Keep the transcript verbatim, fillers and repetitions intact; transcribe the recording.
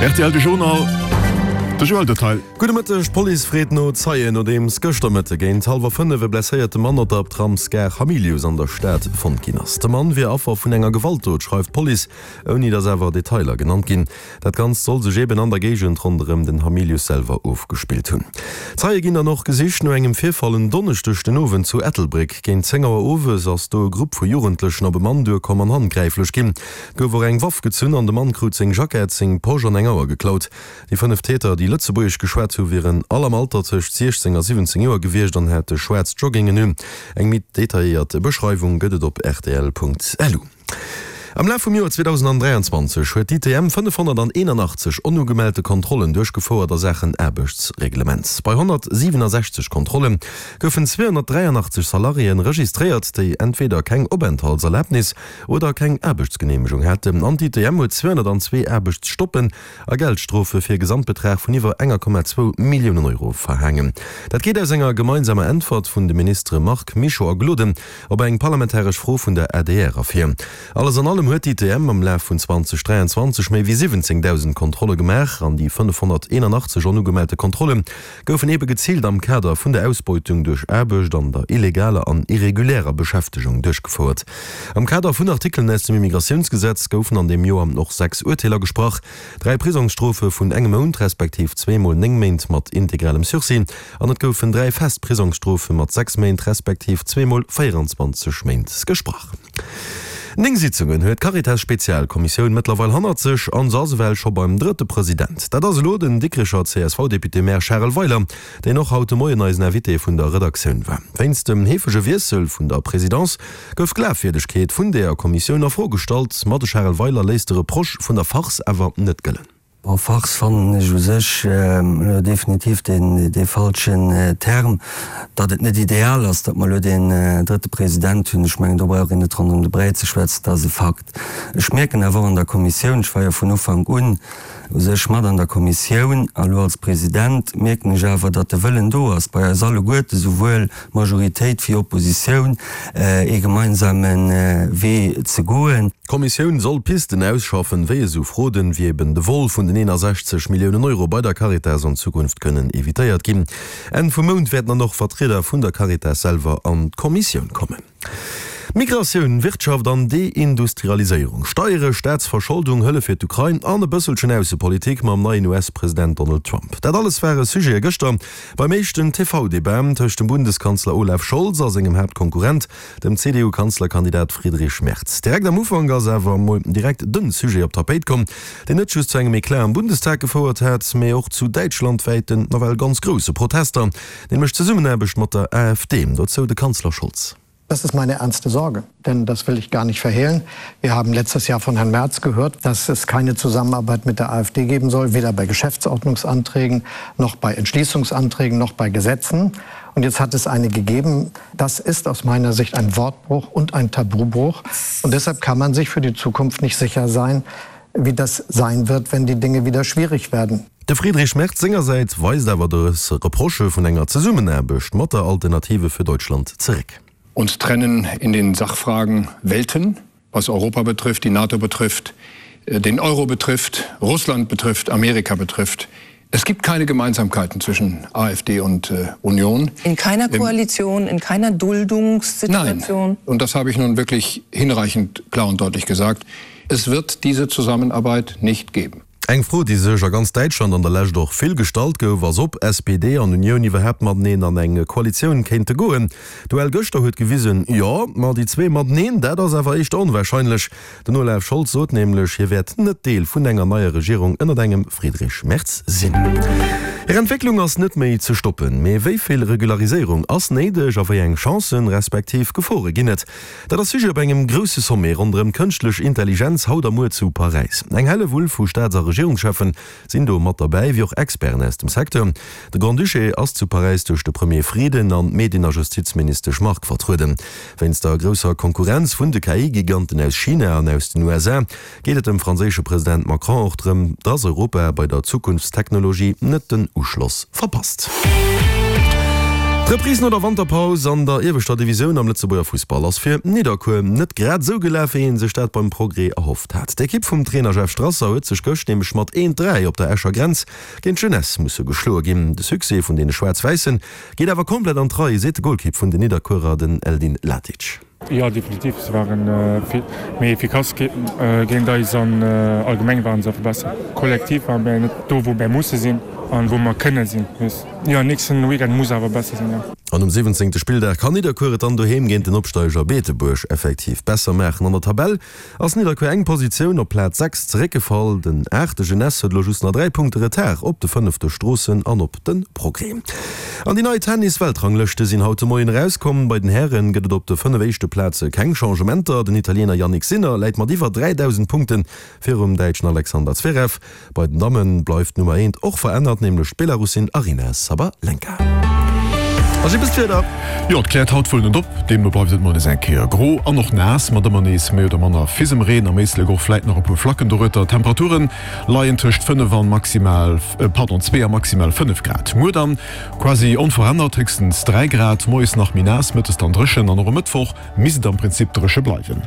R T L de Journal, de Joël Detail. Gudde Mëtteg, D'Police freet no Zeien, nodeems gëschter Mëtte géint hallwer fënnef e blesséierte Mann op der Tramsgare Hamilius an der Stad fonnt ginn ass. De Mann wier Affer vun enger Gewaltdot, schreift d'Police, ouni datt awer Detailer genannt ginn. Dat Ganzt soll sech eben an der Géigend ronderëm den Hamilius selwer ofgespillt hunn. Zeie ginn dann och gesicht no engem Virfall en Donneschdeg den Owend zu Ettelbréck. Géint zéng Auer owes ass do e Grupp vu Jugendlechen op e Mann duerkomm an handgräiflech ginn. Et gouf och eng Waff gezunn an de Mann krut seng Jackett, seng Posch an eng Auer geklaut. Déi fënnef Täter, déi Lëtzebuergesch geschwat hu wieren all am Alter tëscht siechzéng a siwwenzéng Joer gewiescht an hate schwaarz Joggingen un. Eng méi detailléiert Beschreiwung gëtt et op rtl Punkt lu. Am Laf vum Joer zweedausendräianzwanzeg huet d'I T M fënnefhonnerteenanachtzeg onugemellte Kontrollen duerchgefouert a Saachen Aarbechtsreglement. Bei honnertsiwenasechzeg Kontrolle goufen zweehonnertdräianachtzeg Salariéen registréiert, déi entweder keng Openthaltserlabnis oder keng Aarbechtsgeneemegung haten. An d'I T M huet zweehonnertzwee Aarbechtsstoppen a Geldstrofe fir e Gesamtbetrag vun iwwer enger Komma zwou Milliounen Euro verhaangen. Dat geet aus enger gemeinsamer Äntwert vun de Ministere Marc Mischo a Gloden op eng parlamentaresch Fro vun der A D R ervir. Alles an allem huet d'I T M am Laf vun zweedausendräianzwanzeg méi wéi siwwenzéngdausend Kontrolle gemaach an déi fënnefhonnerteenanachtzeg onugemellte Kontrolle goufen ebe geziilt am Kader vun der Ausbeutung duerch Aarbecht an der illegaler an irregulärer Beschäftegung duerchgefouert. Am Kader vun Artikelen aus dem Immigratiounsgesetz goufen an deem Joer och sechs Urteeler gesprach, dräi Prisongsstrofe vun engem Mount respektiv zwee mol néng Méint mat integralem Sursis an et goufen dräi fest Prisongsstrofe mat sechs Méint respektiv zwee mol véierenzwanzeg Méint gesprach. Néng Sitzungen huet d'Caritas-Spezialkommissioun mëttlerweil hannert sech an se ass ewell scho beim drëtte President. Dat ass elo den Dikrecher C S V-Député-Maire Charel Weiler, deen och haut de Moien eisen Invité vun der Redaktioun war. Wéinst dem heefege Wiessel vun der Presidence gouf d'Glafwierdegkeet vun der Kommissioun a Fro gestallt, ma de Charel Weiler léisst de Reproche vun der Farce awer net gëllen. Bon, Farce fannen ech u sech elo definitiv deen dee falschen Term. Datt et net ideal ass, datt mer elo deen drëtte President hunn, ech mengen do brauch een net ronderëm de Bräi ze schwätzen, dat ass e Fakt. Ech mierken awer och an der Kommissioun, ech war jo vun Ufank un u sech mat an der Kommissioun a lo als President, mierken ech awer, datt de Wëllen do ass bei eis alleguerte, souwuel Majoritéit wéi Oppositioun, ee gemeinsame Wee ze goen. D'Kommissioun soll Pisten ausschaffen, wéi esou Fraude wéi eben de Vol vun den eenasechzeg Milliounen Euro bei der Caritas an Zukunft kënnen evitéiert ginn. Enn vum Mount wäerten dann och Vertrieder vun der Caritas selwer an d'Kommissioun kommen. Migratioun, Wirtschaft an Deindustrialiséierung, Steiere, Staatsverscholdung, Hëllef fir d'Ukrain an e bësselchen Aussepolitik mam neien U S-President Donald Trump. Dat alles ware Sujete gëschter beim éischten T V-Debat tëscht dem Bundeskanzler Olaf Scholz a sengem Haaptkonkurrent, dem C D U-Kanzlerkandidat Friedrich Merz. Direkt am Ufank ass awer mol direkt de Sujet op d'Tapéit komm, deen net just zu engem Eclat am Bundestag gefouert hat, mee och zu däitschlandwäiten nawell ganz grousse Protester, nämlech d'Zesummenaarbecht mat der A F D. Dozou de Kanzler Scholz. Das ist meine ernste Sorge, denn das will ich gar nicht verhehlen. Wir haben letztes Jahr von Herrn Merz gehört, dass es keine Zusammenarbeit mit der A F D geben soll, weder bei Geschäftsordnungsanträgen noch bei Entschließungsanträgen noch bei Gesetzen. Und jetzt hat es eine gegeben. Das ist aus meiner Sicht ein Wortbruch und ein Tabubruch. Und deshalb kann man sich für die Zukunft nicht sicher sein, wie das sein wird, wenn die Dinge wieder schwierig werden. De Friedrich Merz sengersäits weist awer dës Reprochë vun enger Zesummenaarbecht mat der Alternative für Deutschland zeréck. Uns trennen in den Sachfragen Welten, was Europa betrifft, die NATO betrifft, den Euro betrifft, Russland betrifft, Amerika betrifft. Es gibt keine Gemeinsamkeiten zwischen A F D und äh, Union. In keiner Koalition, in keiner Duldungssituation? Nein. Und das habe ich nun wirklich hinreichend klar und deutlich gesagt. Es wird diese Zusammenarbeit nicht geben. Eng Fro, déi sech a ganz Däitschland an der Lescht och vill gestallt gouf, ass ob S P D an Unioun iwwerhaapt mateneen an eng Koalitioun kéinte goen. D'Duell gëschter huet gewisen, jo, ma déi zwee mateneen, dat ass awer éischter onwahrscheinlech. Den Olaf Scholz sot nämlech, hie wäert net Deel vun enger neier Regierung ënnert engem Friedrich Merz sinn. Hir Entwécklung ass net méi ze stoppen, mee wéi vill Regulariséierung ass néideg a wéi eng Chancen, respektiv Gefore ginn et? Dat ass Sujet op engem grousse Sommet ronderëm kënschtlech Intelligenz haut a muer zu Paräis. Eng Hellewull vu Staats a Regierungscheffen sinn do mat derbäi, wéi och Experten aus dem Secteur. De Grand-Duché ass zu Paräis duerch de Premier Frieden an d'Medien a Justizministesch Margue vertrueden. Wéinst der grousser Konkurrenz vun de K I-Giganten aus China an aus den U S A geet et dem franséische President Macron och drëm, dass Europa bei der Zukunftstechnologie net den Uschloss verpasst. D'Reprise no der Wanterpaus an der ieweschter Divisioun am Lëtzebuerger Fussball ass fir Nidderkuer net grad esou gelaf, wéi ee sech dat beim Progrès erhofft hat. D'Ekipp vum Trainer Jeff Strasser huet sech gëscht nämlech mat eent, dräi op der Escher Grenz géint d'Jeunesse musse geschloe ginn. De Succès vun deene Schwaarz-Wäissen geet awer komplett an d'Rei, seet de Golkipp vun den Nidderkuerer, den Eldin Latic. Jo, definitiv. Se waren vill méi efficace géint eis an allgemeng waren se einfach besser. Kollektiv ware mir net do, wou mir musse sinn an wou mer kënne sinn. Jo, nächsten Weekend muss awer besser sinn, jo. An um siwwenzéngte Spilldag kann Nidderkuer et dann doheem géint den Opsteiger Beetebuerg effektiv besser maachen. An der Tabell ass Nidderkuer eng Positioun op Plaz sechs zeréckgefall. Den aachte Jeunesse huet elo just nach dräi Punkte Retard op de fënnefte Stroossen an op de Progrès. An déi nei Tennis-Weltranglëschte sinn haut de Moien erauskomm. Bei den Häre gëtt et op de fënnef éischte Plaze keng Changementer. Den Italiener Jannik Sinner läit mat iwwer dräidausend Punkte virum Däitschen Alexander Zverev. Bei den Damme bleift d'Nummer eent och verännert, nämlech d'Belarussin Aryna Sabalenka. A Jippes d'Wieder. Jo, et kläert haut wuel net op, deemno bleift et mol nees eng Kéier gro an och naass, mat ëmmer nees méi oder manner Fisemreen, am Éislek och vläit nach e puer Flacken dorueter. D'Temperature leien tëscht fënnef an maximal, pardon, zwee a maximal fënnef Grad. Muer dann quasi onverännert, héchstens dräi Grad, moies nach méi naass, mëttes dann dréchen an och e Mëttwoch misst et am Prinzip dréche bleiwen.